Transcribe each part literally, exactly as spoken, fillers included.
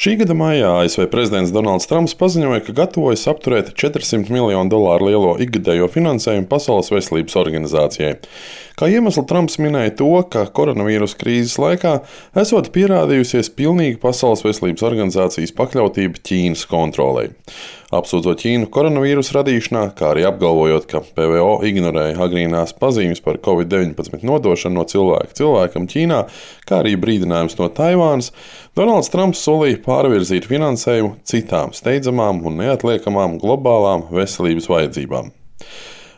Šī gada maijā A S V prezidents Donalds Trumps paziņoja, ka gatavojas apturēt četrsimt miljonu dolāru lielo ikgadējo finansējumu Pasaules veselības organizācijai. Kā iemeslu Trumps minēja to, ka koronavīrusa krīzes laikā esot pierādījusies pilnīga Pasaules veselības organizācijas pakļautība Ķīnas kontrolei. Apsūdzot Ķīnu koronavīrusa radīšanā, kā arī apgalvojot, ka P V O ignorēja agrīnās pazīmes par covid deviņpadsmit nodošanu no cilvēka cilvēkam Ķīnā, kā arī brīdinājums no Taivānas, Donalds Trumps solīja pārvirzīt finansējumu citām steidzamām un neatliekamām globālām veselības vajadzībām.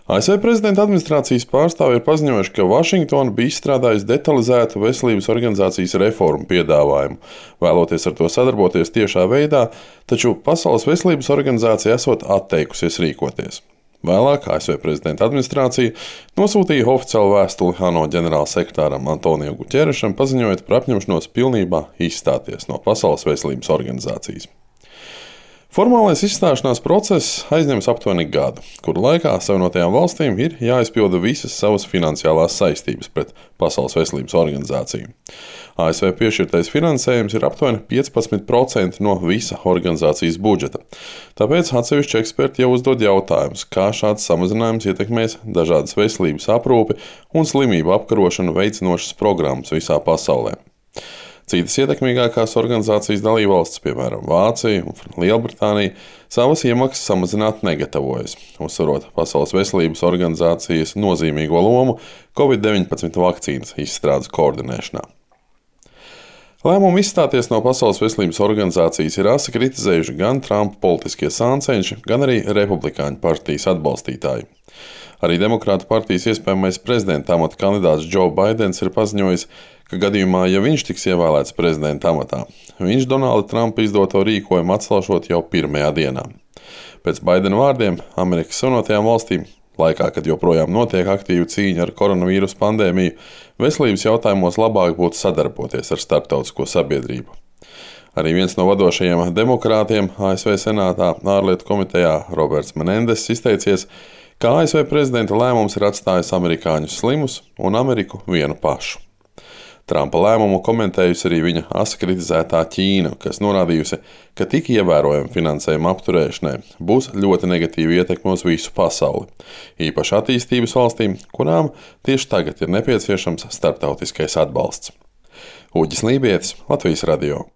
A S V prezidenta administrācijas pārstāvji ir paziņojuši, ka Vašingtona bija izstrādājusi detalizētu veselības organizācijas reformu piedāvājumu, vēloties ar to sadarboties tiešā veidā, taču Pasaules veselības organizācija esot atteikusies rīkoties. Vēlāk A S V prezidenta administrācija nosūtīja oficiālu vēstuli ANO ģenerālsekretāram Antonio Guterešam, paziņojot par apņemšanos pilnībā izstāties no Pasaules veselības organizācijas. Formālais izstāšanās process aizņems aptuveni gadu, kuru laikā Savienotajām valstīm ir jāizpilda visas savas finansiālās saistības pret Pasaules veselības organizāciju. A S V piešķirtais finansējums ir aptuveni piecpadsmit procenti no visa organizācijas budžeta. Tāpēc atsevišķi eksperti jau uzdod jautājumus, kā šāds samazinājums ietekmēs dažādas veselības aprūpi un slimību apkarošanu veicinošas programmas visā pasaulē. Citas ietekmīgākās organizācijas dalībvalstis, piemēram, Vācija un Lielbritānija, savas iemaksas samazināt negatavojas, uzsverot Pasaules veselības organizācijas nozīmīgo lomu covid deviņpadsmit vakcīnas izstrādes koordinēšanā. Lēmumu izstāties no Pasaules veselības organizācijas ir asi kritizējuši gan Trumpa politiskie sāncenši, gan arī Republikāņu partijas atbalstītāji. Arī Demokrātu partijas iespējamais prezidenta amata kandidāts Joe Baidens ir paziņojis, ka gadījumā, ja viņš tiks ievēlēts prezidenta amatā, viņš Donalda Trumpa izdoto rīkojumu atcelšot jau pirmajā dienā. Pēc Baidena vārdiem Amerikas Savienotajām valstīm, laikā, kad joprojām notiek aktīva cīņa ar koronavīrusa pandēmiju, veselības jautājumos labāk būtu sadarboties ar starptautisko sabiedrību. Arī viens no vadošajiem demokrātiem A S V Senātā ārlietu komitejā Roberts Menendess izteicies, ka A S V prezidenta lēmums ir atstājis amerikāņus slimus un Ameriku vienu pašu. Trumpa lēmumu komentējusi arī viņa asi kritizētā Ķīna, kas norādījusi, ka tik ievērojama finansējuma apturēšanai būs ļoti negatīva ietekme uz visu pasauli, īpaši attīstības valstīm, kurām tieši tagad ir nepieciešams starptautiskais atbalsts. Uģis Lībietis, Latvijas radio.